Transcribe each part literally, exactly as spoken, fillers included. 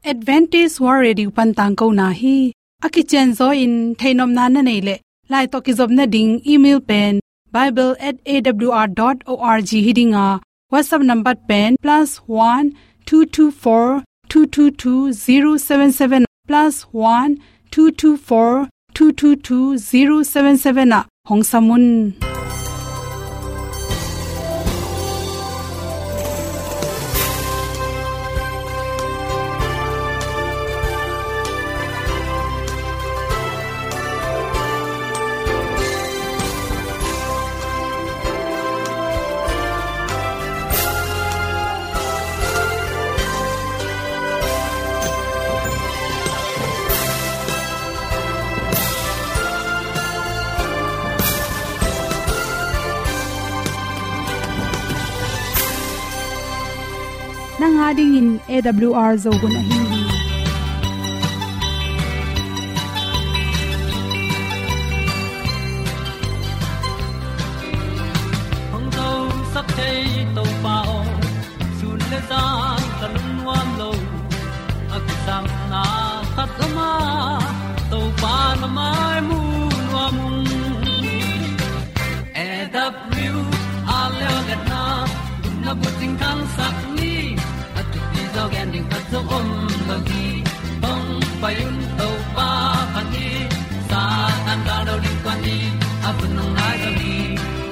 Adventist World Radio pan tangkona hi. A kicianzaw in theihnopna na neih leh, lai tawh kizopna ding email pen bible at A W R dot org hi ding a, WhatsApp number pen plus one two two four two two two zero seven seven, plus one two two four two two two zero seven seven ah hong sam un. Nang a dingin A W R Zo hun ahi hi. Hong zosak thei Topa aw, sun le zan ka lungnuam lo. A kisapna khat om a, Topa na mai mu nuam ung. A W R leo letna, na bucing khangsak ni. A thupi zaw gen ding khat zong om lo hi. Hong pai un Topa phat ni. Satan gal lo ding kua ni. A hun hong nai zo hi.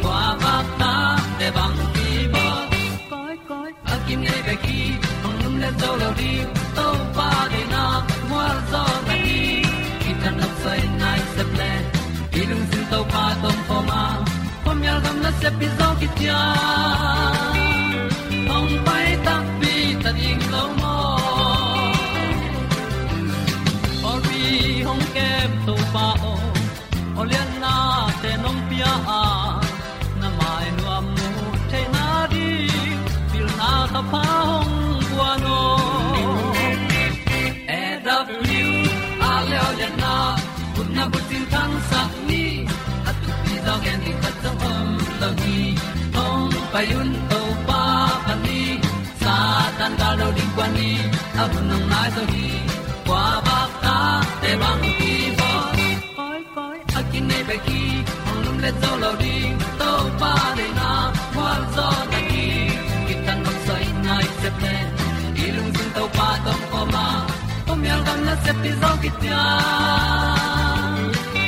Kua bak ta te bang ki bawl. Koi, koi, a kim nei bek hi, hong lum le zo lo ding, Topa deihna mual zaw na hi. Kitang nok soi nai sep le, i lungsim Topa tawh om khawm a, khuamial gam nasep hi zaw kician. Hong pai takpi ta ding lo maw. Pawlpi hong kem Topa aw, awliatnate nong pia a, na mai nuam mu theihna ding, pilna thapha hong guan aw. A W R leo letna, khutna bucing khangsak ni. A thupi zaw gen ding khat zong om lo hi. Hong pai un Topa phat ni. Satan gal lo ding kua ni. A hun hong nai zo hi. Kua bak ta te bang ki bawl. Koi, koi, a kim nei bek hi, hong lum le zo lo ding, Topa deihna mual zaw na hi. Kitang nok soi nai sep le, i lungsim Topa tawh om khawm a, khuamial gam nasep hi zaw kician.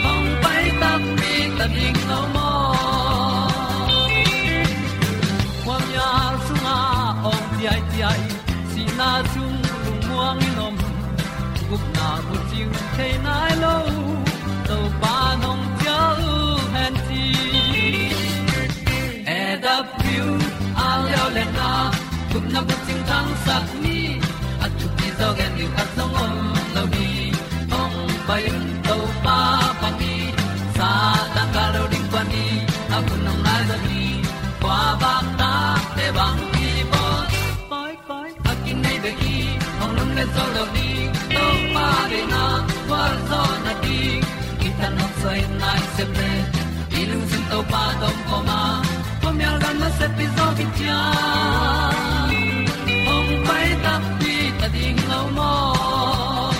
Hong pai takpi ta ding lo maw. Khuamial sungah awng ciaiciai, sihna sung lungmuang in om, gupna bucing thei nai lo, Topa nong cial hen ci. A W R leo letna, gupna bucing khangsak ni. A thupi zaw gen ding khat zong om lo hi. Hong pai un Topa phat ni. Satan gal lo ding kua ni. A hun hong nai zo hi. Kua bak ta te bang ki bawl. Koi, koi, a kim nei bek hi, hong lum le zo lo ding, Topa deihna mual zaw na hi. Kitang nok soi nai sep le, i lungsim Topa tawh om khawm a, khuamial gam nasep hi zaw kician. Hong pai takpi ta ding lo maw.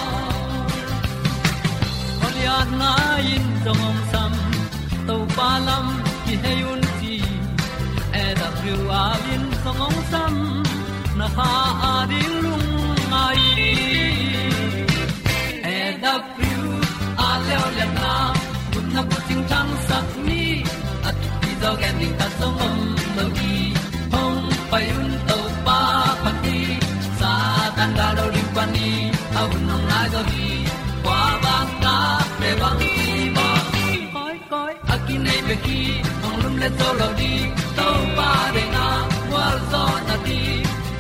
Awliatna in zong hong sam, Topa lam kihei un ci. A W R in zong hong sam, na kha a ding lungngai. A W R leo letna, gupna bucing khangsak ni. A thupi zaw gen ding khat zong om lo hi. Hong pai un Topa phat ni. Satan gal lo ding kua ni. A hun hong nai zo hi. Kua bak ta te bang ki bawl. Koi, koi, a kim nei bek hi, hong lum le zo lo ding, Topa deihna mual zaw na hi.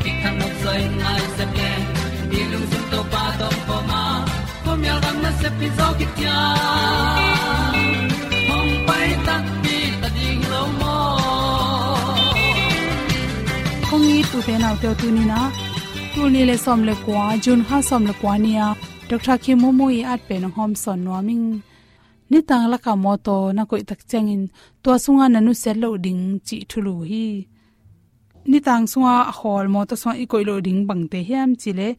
Kitang nok soi nai sep le, i lungsim Topa tawh om khawm a, khuamial gam nasep hi zaw kician. Hong pai takpi ta ding lo maw. Kong it ute naute aw, tuni-in ah, tul nih le sawm le kua, June kha sawm le kua ni-a, Doctor Khin Maw Maw i at pen hong hawmsawn nuam ing. Nitang lakah mawtaw na koih tak ciangin tua sungah na nusiat loh ding cih thulu hi. Nitang sungah a khawl mawtaw sungah i koih loh ding bangte hiam cih leh,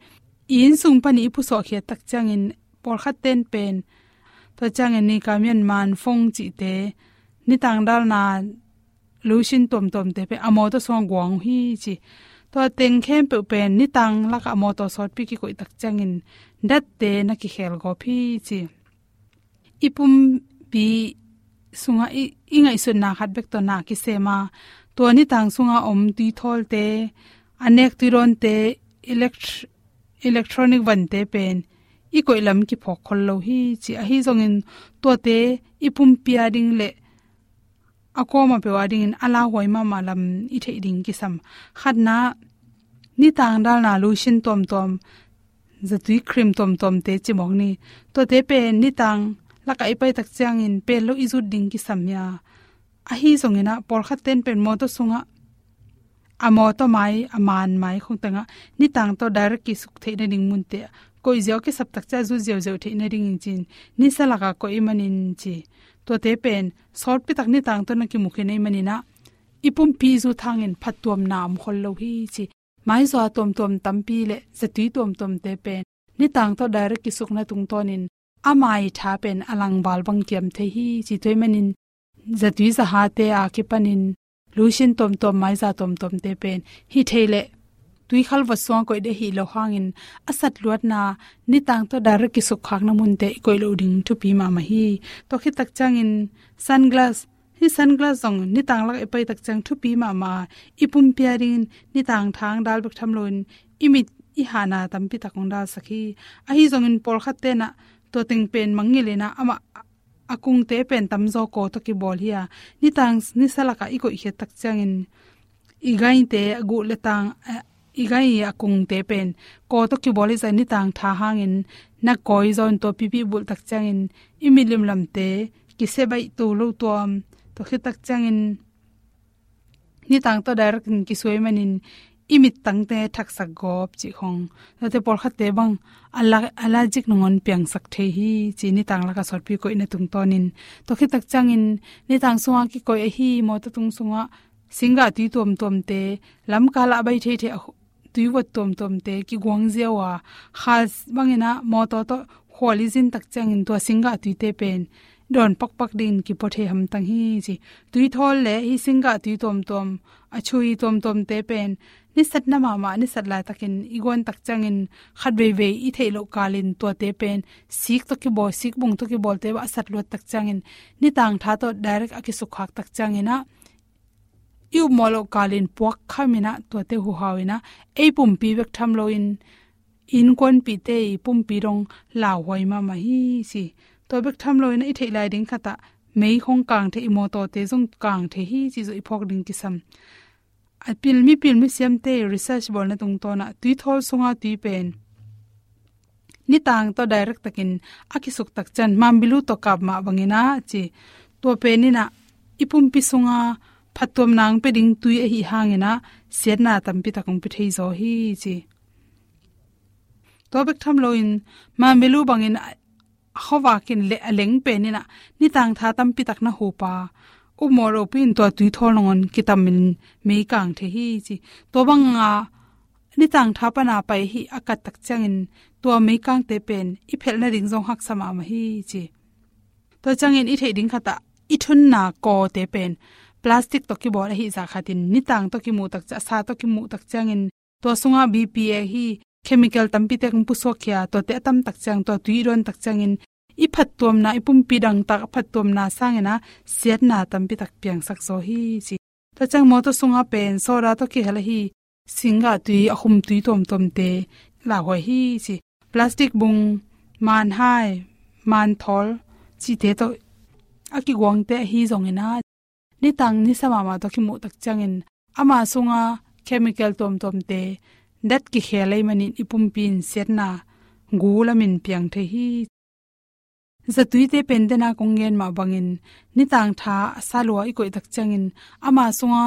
i inn sung panin i pusuah khiat tak ciangin pawlkhat ten pen, tua ciangin Nikamian, Manfong cihte, nitang dalna lotion tuamtuamte pen a mawtaw sungah guang uh hi ci. Tua teng khempeuh pen nitang lakah a mawtaw sawtpi kikoih tak ciangin datte na kikhel gawp hi ci. I pumpi sungah i, i ngaihsutna khat bek tawh na kisem a, tua nitang sungah om tuithawlte, a nek tuidawnte, elect-, electronic vante pen i koih lam kiphawk khol lo hi ci. Ahi zongin tuate i pumpi a ding le a kuamah peuh a dingin a lauhuai mahmah lam i theih ding kisam. Khatna, nitang dalna lotion tuamtuam, zatui cream tuamtuamte cimawk ni. Tuate pen nitang lakah i pai tak ciangin pel lo i zut ding kisam hi a. Ahi zongin ah, pawlkhat ten pen mawtaw sungah, a mawtaw mai, a man mai khong tengah nitang tawh direct kisuk theih nading munte ah koih ziau, kisap tak ciang zut ziauziau theih nadingin ci-in nisa lakah koih ahih manin ci. Tuate pen sawtpi tak nitang tawh na kimu khin ahih manin ah, i pumpi zut hangin phattuamna om khol lo hi ci. Maizaw tuamtuam tampi le zatui tuamtuamte pen nitang tawh direct kisukna tungtawnin a mai tha pen a langval bang kiam thei hi ci. Tua ahih manin zatui zahate a kipanin lotion tuamtuam, maiza tuamtuamte pen hih thei leh tuikhal vot sungah koih ding ahih loh hangin a satluatna nitang tawh direct kisukkhakna munte i koih loh ding thupi mahmah hi. Tua khit tak ciangin sunglass, hih sunglass zong nitang lakah i pai tak ciang thupi mahmah a, i pumpi a dingin nitang tha hong dal bek tham loin i mit i hahna tampi tak hong dalsak hi. Ahi zongin pawlkhat ten ah tua teng pen mangngilh in ah, amah a kungte pen tamzaw kaw tawh kibawl hi a, nitang nisa lakah i koih khiat tak ciangin i gaite a guh le tang, eh, i gai a kungte pen kaw tawh kibawl hi zah, nitang tha hangin na kawi zaw in tua pipi bulh tak ciangin i mit limlamte kisia baih to lo tuam. Tua khit tak ciangin nitang tawh direct in kisuai manin i mittangte thaksak gawp cih khong. Tuate pawlkhatte bang ala-, allergic nangawn piangsak thei hi ci, nitang lakah sawtpi koihna tungtawnin. Tua khit tak ciangin nitang sungah kikoih ahi mawtaw tung sungah singgah tui tuamtuamte, lamkalah a bai theithei a hu-, tuivot tuamtuamte kiguang ziau a, kha bangin ah mawtaw tawh khual i zin tak ciangin tua singgah tuite pen dawn pakpak dingin kipua thei hamtang hi ci. Tuithawl le hih singgah tui tuamtuam, a chui tuamtuamte pen nisatna mahmah, nisat laitakin i guan tak ciangin khat veivei i theih loh kalin tuate pen sik tawh kibawl, sikbung tawh kibawlte bah a satluat tak ciangin nitang tha tawh direct a kisukkhak tak ciangin ah i upmawh loh kalin puak khamin ah tuate huhau in ah ei pumpi bek tham loin innkuanpihte i pumpi dong lauhuai mahmah hi ci. Tua bek tham loin ah i theih lai ding khatah mei khong kang thei, i mawtawte zong kang thei hi cih zong i phawk ding kisam. A pil, mipil misiamte research bawlna tungtawn ah tuithawl sunga tui pen nitang tawh direct takin a kisuk tak ciang, Mambilu tawh kap mah bangin ah ci, tua pen in ah i pumpi sunga phattuamna hong pia ding tui ahih hangin ah siatna tampi tak hong pia thei zaw hi ci. Tua bek tham loin Mambilu bangin a, a khuavak in le a leng pen in ah nitang tha tampi tak na hup a, upmawh lohpi in tua tuithawl nangawn kitamin mei kang thei hi ci. Tua banga nitang tha pana pai hi a kat tak ciangin tua meikangte pen i phelh nading zong haksa mahmah hi ci. Tua ciangin i theih ding khatah i thunna kawte pen plastic tawh kibawl ahih zah khatin nitang tawh kimuh tak ciang, sa tawh kimuh tak ciangin tua sungah B P A hi chemical tampi tak hong pusuak khia, tuate a tam tak ciang, tua tui i dawn tak ciangin i phattuamna, i pumpi dangtak a phattuamna sangin ah siatna tampi tak piangsak zaw hi ci. Tua ciang mawtaw sungah pen soda tawh kihel ahi singgah tui, a khum tui tuamtuamte lauhuai hi ci. Plastic bung, manhai, manthawl cihte tawh a kiguangte ahi zongin ah nitang nisa mahmah tawh kimuh tak ciangin ama sunga chemical tuamtuamte dat kikhel ahih manin i pumpi in siatna gu lamin piang thei hi. Zatuite pen dena kong gen mah bangin nitang tha a sa lua i koih tak ciangin ama sunga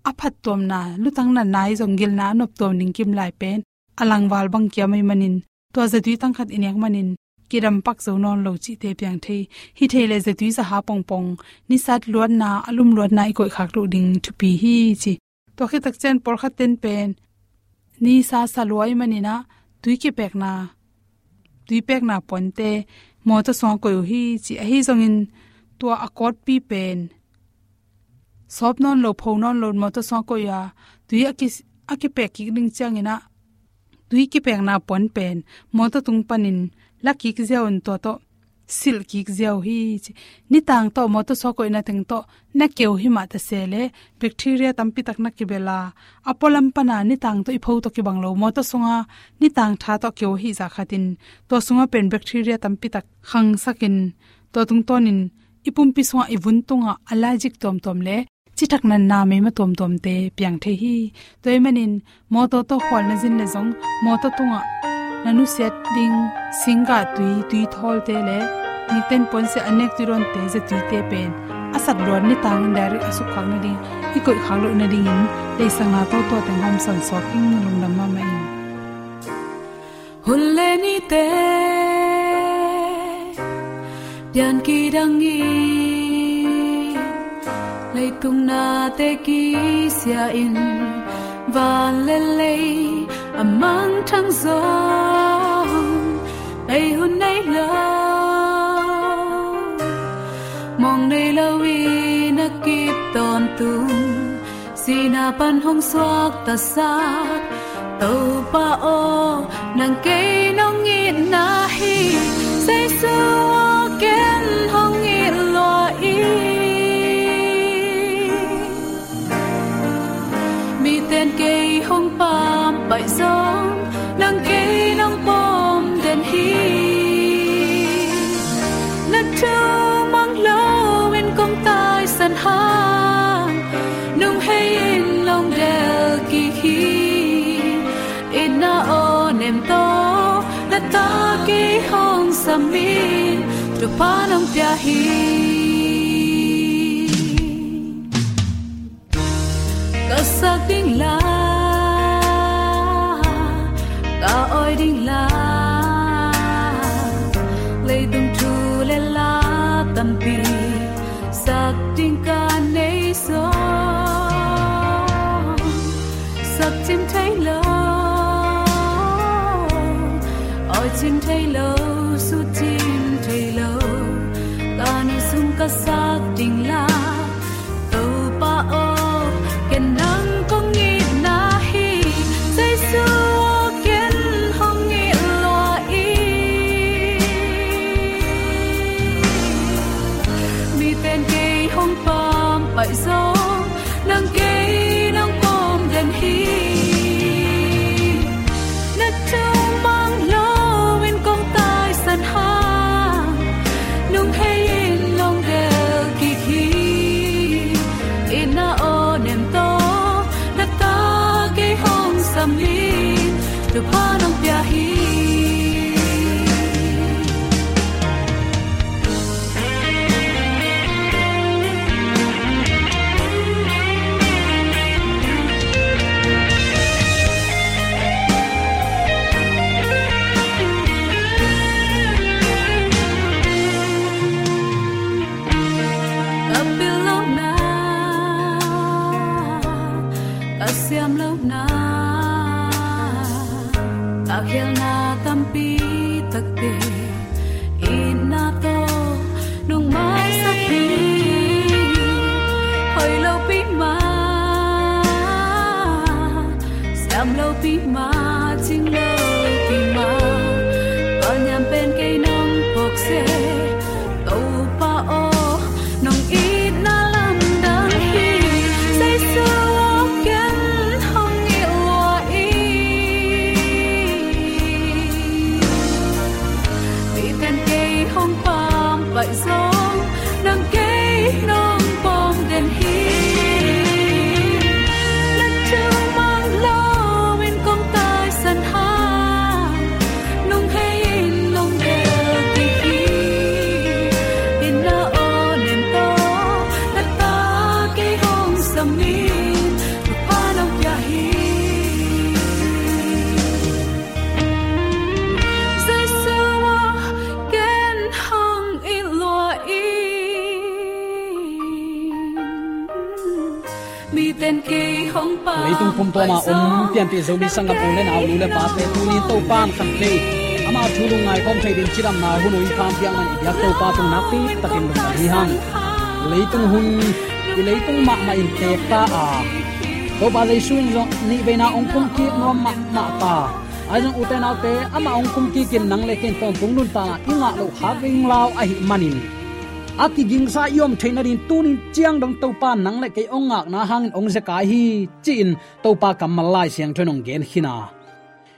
a phattuamna, lutang natna i zong gilna a noptuam ding kim lai pen a langval bang kiam ahih manin tua zatui tangkhat i nek manin kidam pak zo nawn lo cihte piang thei. Hih thei leh zatui zaha pongpong, nisat luatna, a lum luatna i koihkhak loh ding thupi hi ci. Tua khit tak ciang pawlkhat ten pen nisa sa lua ahih manin ah tui kipekna, tui pekna puante mawtaw sungah koih uh hi ci. Ahi zongin tua a kawtpi pen sawp nawn lo, pho nawn lo, mawtaw sungah koih a, tui a ki, a kipek kik ding ciangin ah tui kipekna puan pen mawtaw tung panin la kik ziau in tua tawh silh kik ziau hi ci. Nitang tawh mawtaw sungah koihna teng tawh na keu hi mah ta se leh bacteria tampi tak na kibel a, a pualam pana nitang tawh i pho tawh kibang lo, mawtaw sunga nitang tha tawh keu hi zah khatin tua sunga pen bacteria tampi tak khangsakin tua tungtawnin i pumpi sungah, i vun tungah allergic tuamtuam le cithak natna meima tuamtuamte piang thei hi. Tua ahih manin mawtaw tawh khual na zin leh zong mawtaw tungah na nusiat ding singgah tui, tui thawlte le nikten puansia a nek tui dawnte, zia tuite pen a sat luat nitangin direct a sukkhak nading, i koihkhak loh nadingin leisakna tawh tua teng hawmsawn suak ing. Lungdam mahmah ing. Hun le nite pian kidangin, leitung nate kisia in, van le lei a mangthang zong bei hun nei lo. Mawng nei lo in a kip tawntung, sihna pan hong suaktasak Topa aw, nang kei nong itna hi. Jesu aw, ken hong it lua ing. Miten kei hong pampaih zong, nang kei nong pawm den hi. Na thu mang loin kong taisan hang, nung hei in long del kik hi. Itna aw nem tawh na ta kei hong sam in, Topa nong pia hi. Ka sak ding la, ka awi ding la, leitung thu le la tampi sak ding ka nei zong, sak cim thei lo, awi cim thei lo, sut cim thei lo, ka ni sung ka sak ding la. Topa aw, ken nang kong itna hi. Jesu aw, ken hong it lua ing. Miten kei hong pampaih zong, nang kei nong pawm den hi. Na thu mang loin kong taisan hang, nung hei in long del kik hi. Itna aw nem tawh na ta kei hong sam in, Topa nong pia hi. Ka pil lohna, ka siam lohna, ka khialna tampi takte, itna tawh nong maisak hi. Hoih lopi mah, siam lopi mah, cing lopi mah, ka niam pen kei nong phawk seh. Topa aw, nong itna lamdang hi. Jesu aw, ken hong it lua ing. Miten kei hong pampaih zong, nang kei nong pawm den hi. Na thu mang loin kong ta Kum tuama om pianpih Zomi sanggam u le nau, nu le pate, tuni-in Topa'n khatvei ama thu lungngai khawm thei ding cidamna hun hoih in pha hong piak man i biak Topa tung nakpi takin lungdam hi hang. Leitung hun, i leitung mahmah in teek ta a, Topa Jesu in zong nihveina hong kumkik nuam mahmah ta. Ahi zong ute naute, amah hong kumkik in nang le kei in tawntung nuntakna i ngah loh khak ringlau ahih manin, a kigingsa i om theih nading tuni-in ciang dong Topa'n nang le kei hong ngakna hangin hong zekai hi, ci-in Topa kammal Lai Siangtho in hong gen khin a.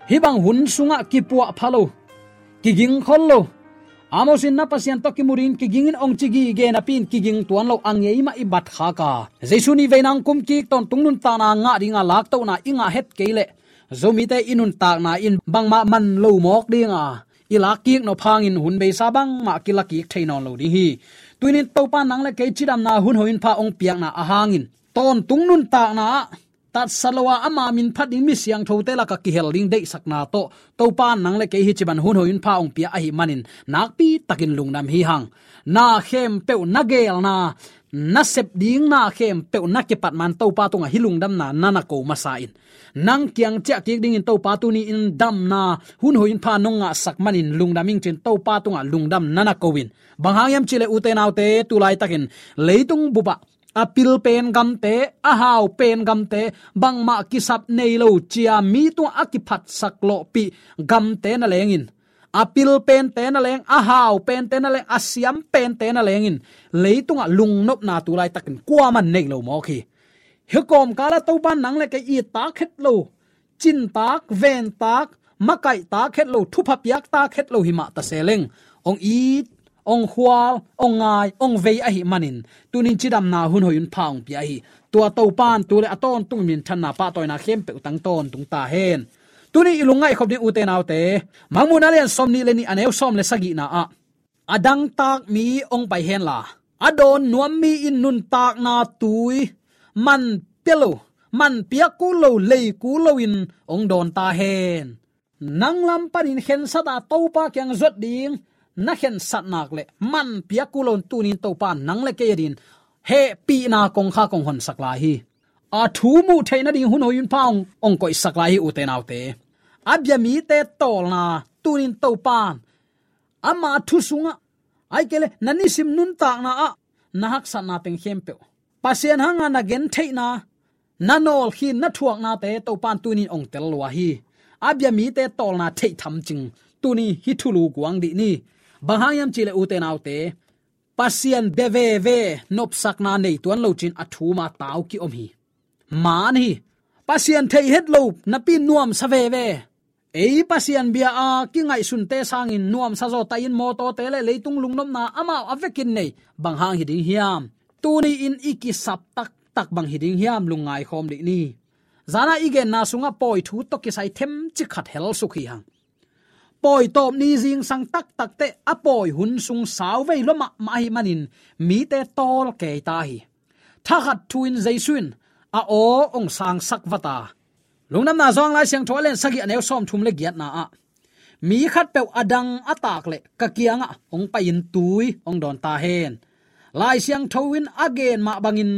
Hih bang hun sungah kipuahpha lo, kiging khol lo, Amos in na Pasian tawh kimu dingin kiging in hong ci gige napi-in kiging tuan lo a ngei mah i bat khak a, Jesu nihveina hong kumkik tawntung nuntakna ngah dinga laktohna i ngah het kei leh Zomite i nuntakna in bangmah man lo mawk dinga, i lakkik nop hangin hun beisa bangmah kilakik thei nawn lo ding hi. Tuni-in Topa'n nang le kei cidamna hun hoih in pha hong piakna ahangin tawntung nuntakna ah tatsa lo a, ama min phat ding mi siangthote lakah kihel ding deihsakna tawh Topa'n nang le kei hih ci bang hun hoih in pha hong pia ahih manin nakpi takin lungdam hi hang. Na khempeuh, na geelna, na sep ding na khempeuh na kipat man Topa tungah hih lungdamna na na ko masa in, nang kiang ciahkik dingin Topa tuni-in damna hun hoih in pha nong ngahsak manin lungdam ing, ci-in Topa tungah lungdam na na ko in. Bang hang hiam cih leh ute naute, tu laitakin leitung bupah a pil pen gamte, a hau pen gamte, bangmah kisap nei lo ci-a mi tungah a kiphatsak lawhpih gamte na lengin, a pil pente na leng, a hau pente na leng, a siam pente na lengin, leitungah lungnopna tu laitakin kuaman nei lo mawk hi. Hih kawmkalah Topa'n nang le kei it tak het lo, cin tak, ven tak, makaih tak het lo, thupha piak tak het lo hi mah ta se leng, hong it, hong khual, hong ngai, hong vei ahih manin, tuni-in cidamna hun hoih in pha hong pia hi. Tua Topa'n tu le a tawntung minthanna pahtawina khempeuh tang tawntung ta hen. Tuni i lungngaih khop ding ute naute, Mangmuhna lian sawmnih le nih, a neu sawm le sagihna ah, a dangtak mi hong pai henla, a dawn nuam mi in nuntakna tui man pia lo, man piak kul lo, lei kul loin hong dawn ta hen. Nang lam panin khensat a Topa kiang zuat ding na khensat nak leh man piak kul loin tuni-in Topa'n nang le kei adingin hehpihna kongkhak hong honsak lai hi. A thu muh theih nading hun hoih in pha hong, hong koihsak lai hi ute naute. A bia mite tawlna tuni-in Topa'n ama thu sungah, ahih kei leh na nisim nuntakna ah na haksatna teng khempeuh, Pasian hanga na gentheihna, na nawlkhin, na thuaknate Topa'n tuni-in hong tel lua hi. A bia mite tawlna theih tham cing tuni hih thulu guang dih ni. Bang hang hiam cih leh ute naute, Pasian bia veve nopsakna nei tuan lo ci-in a thu ma tau ki-om hi. Maan hi. Pasian theih het lo napi nuamsa veve. Ei Pasian bia a kingaihsunte sangin nuamsa zaw ta in, mawtawte le leitung lungnopna amau a vekin nei, bang hang hi ding hiam? Tuni-in i kisap taktak bang hi ding hiam? Lungngai khawm dih ni. Zana i genna sungah pawi thu tawh kisai themcik khat helsuk hi hang. Pawi tawp ni zingsang taktak teh a pawi hun sung sauvei lua mahmah ahih manin mite tawl kei ta hi. Thakhat thu-in Jesu in a aw hong sangsak vat a. Lungdamna Johan Lai Siangtho a lian sagih, a neu sawmthum le giatna ah, mi khatpeuh a dang a tak leh ka kiangah hong pai-in tui hong dawn ta hen. Lai Siangtho in a gen mah bangin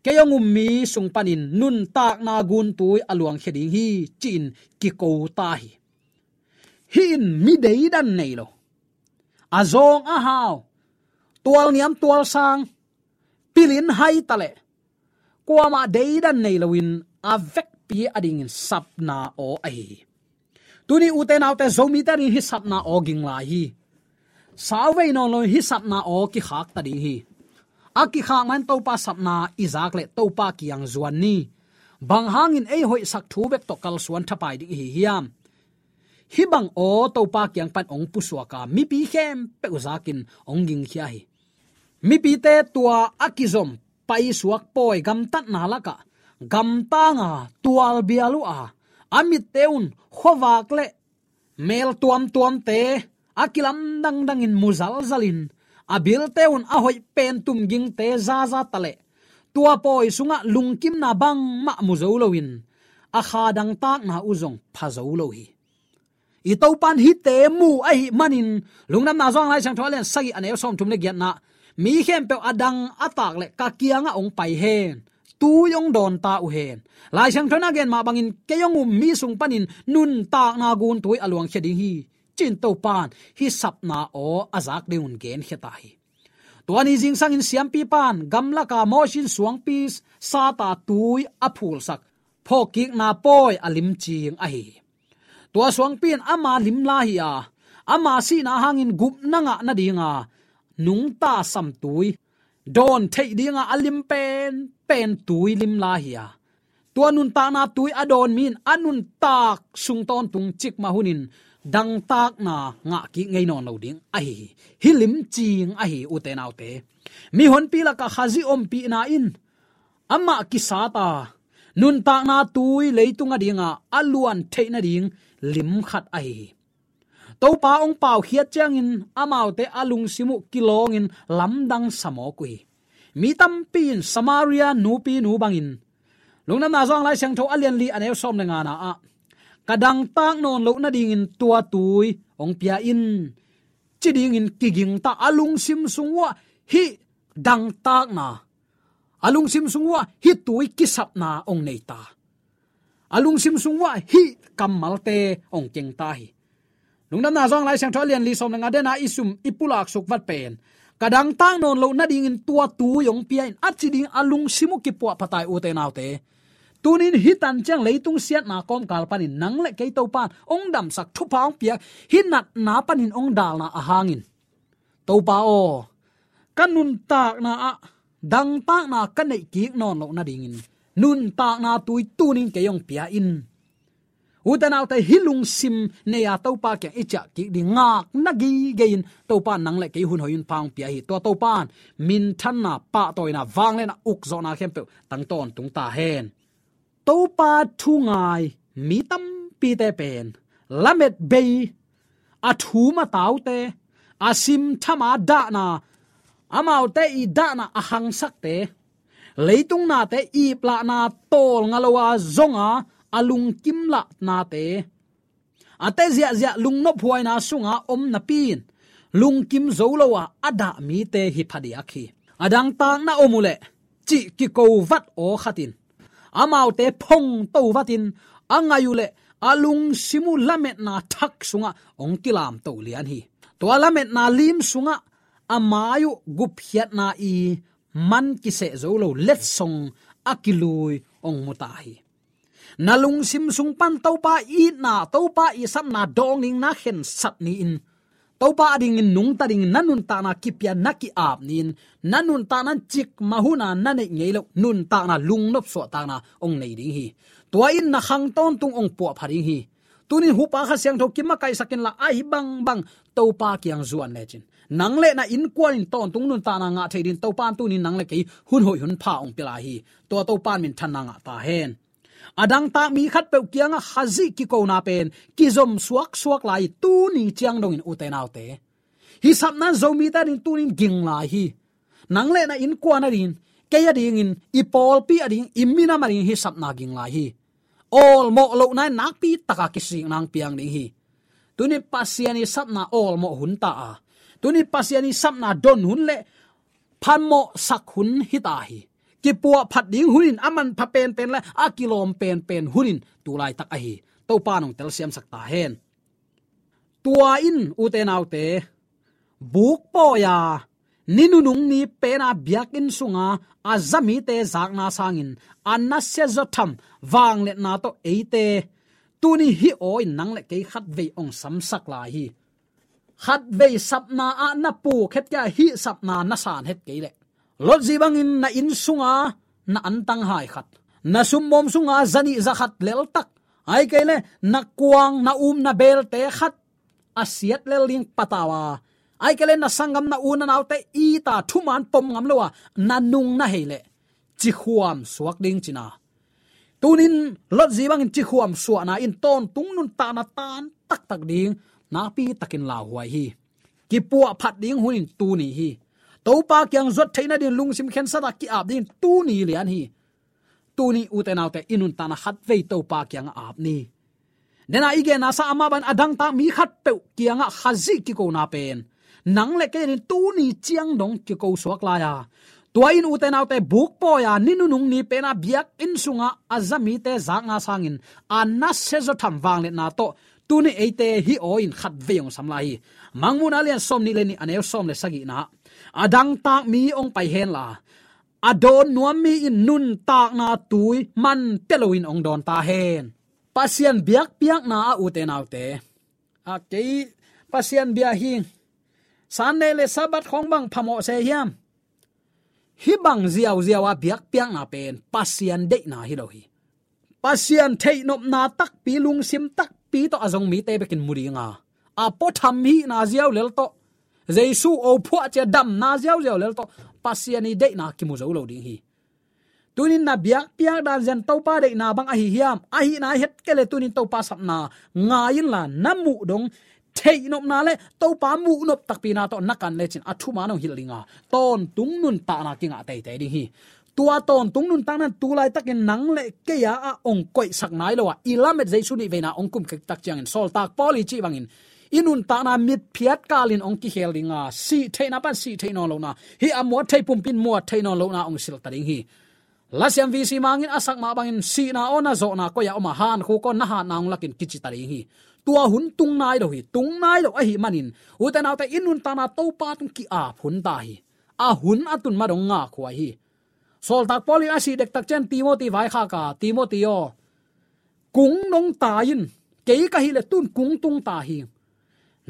kei hong um mi sung panin nuntakna guntui a luangkhia ding hi, ci-in kiko ta hi. Hih in mi deidan nei lo, a zawng a hau, tualniam tualsang, pilin hai ta leh kuamah deidan nei loin a vekpi adingin sapna aw ahi hi. Tuni ute naute, Zomite adingin hih sapna aw ging lai hi. Sauvei nawn loin hih sapna aw kikhak ta ding hi. A kikhak man Topa sapna i zak leh Topa kiang zuan ni. Bang hangin ei hoihsak thu bek tawh kalsuan thapai ding i hi hiam? Hih bang aw Topa kiang pan hong pusuak a, mipi khempeuh zakin hong gingkhia hi. Mipite tua a kizom paisuak pawi gamtatna lakah gamtanga tualbial uh a, a mitte un khuavak le mel tuamtuamte a kilam dangdangin mu zalzalin, a bilte un a hoih pen tumgingte zaza ta leh tua pawi sungah lungkimna bangmah mu zo loin a kha dangtakna uh zong pha zo lo hi. I Topa'n hihte mu ahih manin, Lungdamna Johan Lai Siangtho a lian sagih, a neu sawmthum le giatna, mi khempeuh a dang a tak leh ka kiangah hong pai hen. tui hong dawnta uh hen. Lai Siangtho in a gen mah bangin kei hong um mi sung panin nuntakna gun tui a luangkhia ding hi, ci-in Topan hih sapna aw a zak ding un genkhia ta hi. Tua ni zingsangin siampipa'n gamlaka Mawsi in suangpi sata tui a phulsak phawkkikna pawi a limcing ahi hi. Tua suangpi in ama limla hi a, ama sihna hangin gupna ngah nadinga nungta samtui dawn theih dinga a lim penpen tui limla hi a, tua nuntakna tui a dawn mi in a nuntak sung tawntung cikmah hunin dangtakna ngah kik ngei nawn lo ding ahi hi. Hih limcing ahi, ute naute. Mihonpi lakah Khazih ompihna in amah kisata nuntakna tui leitung adinga a luan theih nading lim khat ahi hi. Topa hong paukhiat ciangin amaute a lungsim uh kilawngin lamdang sa mawk uh hi. Mi tampi in Samaria nupinu bangin, Lungdamna Zong Lai Siangtho a lian li a neu sawm le ngana ah, ka dangtak nawn loh nadingin tua tui hong pia in, ci dingin kigingta, a lungsim sung uah hih dangtakna, a lungsim sung uah hih tui kisapna hong neita, a lungsim sung uah hih kammalte hong kengta hi. Lungdamna Zong Lai Siangtho a lian li sawm le nga, dena i sum i pulak suk vat pen, ka dangtak nawn loh nadingin tua tui hong pia in, a ci ding a lungsim uh kipuahphat ta hi, ute naute. Tunin hih tan ciang leitung siatna kawmkal panin nang le kei Topan hong damsak, thupha hong piak, hih natna panin hong dalna ahangin, Topa aw, ka nuntakna ah dangtakna ka neih kik nawn loh nadingin nuntakna tui tunin kei hong pia in. Ute naute, hih lungsim nei-a Topa kiang i ciah kik ding ngakna gige in Topa nang le kei hun hoih hun pha hong pia hi. Tua Topan minthanna, pahtawina, vangliatna, ukzawhna khempeuh tang tawntung ta hen. Topa thu ngai mi tampite pen lamet bei, a thum a taute, a simtham a dahna, amaute i dahna a hangsakte, leitung nate iplahna tawlnga lo a zonga a lungkim lahnate, a te ziahziah lungnophuaina sunga om napi in lungkim zo lo a a dah mite hi phadiak hi. A dangtak na om uhleh cih kiko vat aw khat in amaute phongto vatin a ngai uhleh a lungsim uh lametna thak sungah hong kilamto lian hi. Tua lametna lim sungah a mai uh gupkhiatna i man kiseh zo lo letsong a kilui hong mu ta hi. Na lungsim sung pan Topa itna, Topa i sapna dawng ding na khensat ni-in, Topa adingin nungta dingin na nuntakna kipia, na ki-ap ni-in, na nuntakna cikmah huna na neih ngei loh nuntakna, lungnop suahtakna hong nei ding hi. Tua in na khang tawntung hong puahpha ding hi. Tunin hupa Kha Siangtho kimakaihsak inla, ahi bangbang Topa kiang zuan lecin, nang le na innkuan in tawntung nuntakna ngah thei dingin Topa in tunin nang le kei hun hoih hun pha hong pia lai hi. Tua Topa in minthanna ngah ta hen. A dangtak mi khatpeuh kiangah Khazih kikona pen kizom suaksuak lai hi, tuni ciang dongin, ute naute. Hih sapna in Zomite adingin tunin ging lai hi. Nang le na innkuan adingin, kei adingin, i pawlpi adingin, i minam adingin hih sapna ging lai hi. Awlmawh lohna in nakpi taka kisikna hong piang ding hi. Tuni Pasian i sapna awlmawh hun ta a, tuni Pasian i sapna don hun le phamawhsak hun hi ta hi. Kipuahphat ding hun in, a manpha penpen le a kilawm penpen hun in tu laitak ahi. Topa in hong telsiamsak ta hen. Tua in, ute naute, buk pawi-a ni nunung ni pena biakinn sunga a za mite zakna sangin a nasia zawtham vangliatna tawh eite tuni hih aw in nang le kei khatvei hong samsak lai hi. Khatvei sapna ah na puk het kei a, hih sapna na san het kei leh, Lot zi bangin na inn sunga na antang hai khat, na sumawm sunga zanih zakhat leltak, ahih kei leh na kuang, na um, na belte khat a siat lel ding patau a, ahih kei leh na sanggam, na u na naute it a thuman pom ngam lo a na nung na hei leh cikhuam suak ding cihna. Tunin Lot zi bangin cikhuam suahna in tawntung nuntakna tan taktak ding nakpi takin lauhuai hi. Kipuahphat ding hun in tuni hi. Topa kiang zuat theih nading lungsim khensat a ki-ap ding tuni lian hi. Tuni, ute naute, i nuntakna khatvei Topa kiangah ap ni. Dena i genna sa, amah bangin a dangtak mi khatpeuh kiangah Khazih kikona pen nang le kei in tuni ciang dong kiko suak lai a, Tua in ute naute, buk pawi-a ni nunung ni pen a biakinn sungah a za mite zakna sangin a nasia zaw tham vangliatna tawh tuni eite hih aw in khatvei hong sam lai hi. Mangmuhna lian sawmnih le nih, a neu sawm le sagihna ah, a dangtak mi hong pai henla, a dawn nuam mi in nuntakna tui man pia loin hong dawn ta hen. Pasian biakpiakna ah ute naute, a kei Pasian bia hi, Sunday le Sabbath khawng bang phamawh se hiam? Hih bang ziauziau a biakpiakna pen Pasian deihna hi lo hi. Pasian theihnopna takpi, lungsim takpi tawh a zong mite bekin mu dinga, a puatham hihna ziau lel tawh, Jesu aw phuah cia damna ziauziau lel tawh Pasian i deihna kimu zo lo ding hi. Tunin na biakpiak dan zen Topa deihna bang ahi hiam? Ahihna het kei le tunin Topa sapna ngai inla, na muh dong theihnopna le Topa muhnop takpina tawh na kan lecin a thuman hong hilh dinga, tawntung nuntakna kingah teitei ding hi. Tua tawntung nuntakna in tu laitakin nang le kei a hong koihsak nai lo a, i lamet Jesu nih veina hong kum khektak ciangin, Sawltak Paul i cih bangin, i nuntakna mitphiat kalin hong kikhel dinga, sih theihna pan sih theih nawn lohna, hih a muat theih pumpi in muat theih nawn lohna hong silh ta ding hi. Lasiam V C Mang in a sak mah bangin, sihna aw na zawhna koi-ah om a, hankhuk aw na hatna hong lakin kici ta ding hi. Tua hun tung nai lo hi. Tung nai lo ahih manin ute naute, i nuntakna Topa tung ki-ap hun ta hi. A hun a tun ma dong ngakhuai hi. Sawltak Paul in a sih dektak ciang Timoti vaikhak a, Timoti aw, kung nong tai in, kei ka hih le tun kung tung ta hi.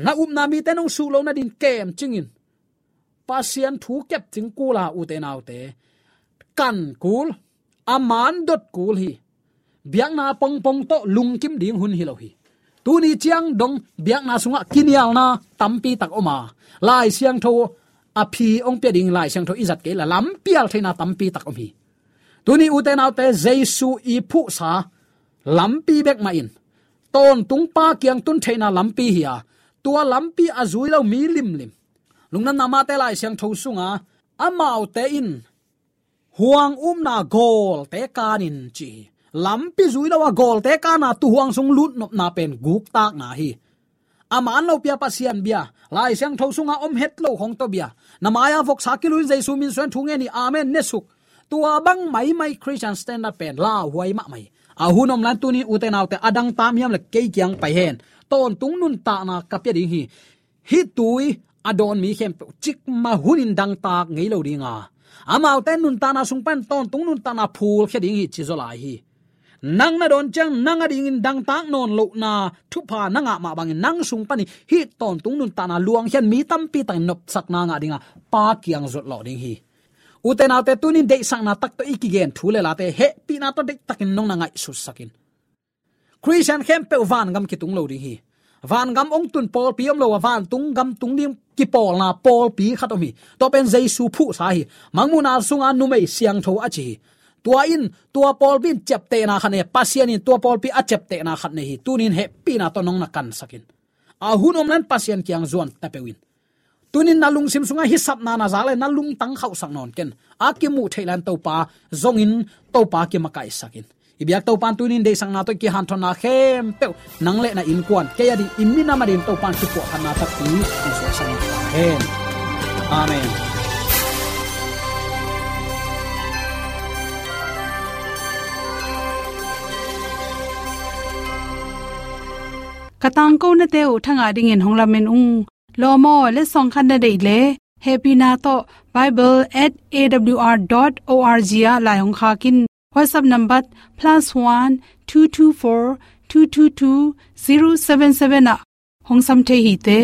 Na upna mite nong suh lo nadin kemcing in. Pasian thu kepcing kul a ute naute, kan kul, a man dot kul hi. Biakna pongpong tawh lungkim ding hun hi lo hi. Tuni ciang dong biakna sungah kinialna tampi tak om a, Lai Siangtho a phi hong pia ding, Lai Siangtho i zat kei la lampial theihna tampi tak om hi. Tuni ute naute, Jesu i phuhsa lampi bek mah in tawntung Pa kiang tun theihna lampi hi a, tua lampi a zui lo mi limlim, Lungdamna Mate Lai Siangtho sunga, amaute in huang upna gawlte kanin ci hi. Lampi zui lo a gawlte kana tuuhuang sung lutnopna pen guktakna hi. A man lopi a Pasian bia, Lai Siangtho sunga om het lo khong tawh bia, na mai-a voksa kilui in Jesu min suan thu ngen hi, amen ne suk. Tua bang maimai Christian standard pen lauhuai mahmah hi. A hun om lai-in tunin ute naute, a dangtak mi hiam le kei kiang pai hen. Tawntung nuntakna ka pia ding hi. Hih tui a dawn mi khempeuh cikmah hunin dangtak ngei lo dinga, amaute nuntakna sung pan tawntung nuntakna phulkhia ding hi, ci zaw lai hi. Nang na dawn ciang nang adingin dangtak nawn lohna thupha na ngah mah bangin nang sung panin hih tawntung nuntakna luangkhiat mi tampi takin nopsakna ngah dinga Pa kiang zuat lawh ding hi. Ute naute, tunin deihsakna tak tawh i kigen thu le late hehpihna tawh deihtakin nong na ngaihsutsak in. Khristian khempeuh vangam kitung lo ding hi. Vangam hong tun pawlpi om lo a, vantung gam tung ding kipawlna pawlpi khat om hi. Tua pen Jesu phuhsa hi. Mangmuhna sunga numei siangtho a ci hi. Tua in tua pawlpi in ciaptehna khat nei a, Pasian in tua pawlpi a ciaptehna khat nei hi. Tunin hehpihna tawh nong na kansak in. A hun om lai-in Pasian kiang zuan ta peuh in. Tunin na lungsim sungah hih sapna na zak le na lungtang khauhsak nawn ken. A kimuh theih lai-in Topa zongin, Topa kimakaihsak in. I biak Topa in tunin deihsakna tawh i kihanthawnna khempeuh nang le na innkuan, kei ading, i minam ading Topa in kipuahkhatna takpi hong suaksak in ta hen. Amen. Ka tangkonate uh thangah dingin hong lamen ung. Lawm aw, letsong khat na deih leh, hehpihna tawh bible at A W R dot O R G ah lai hong khak in. WhatsApp number plus one two two four two two two zero seven seven ah hong sam thei hi te.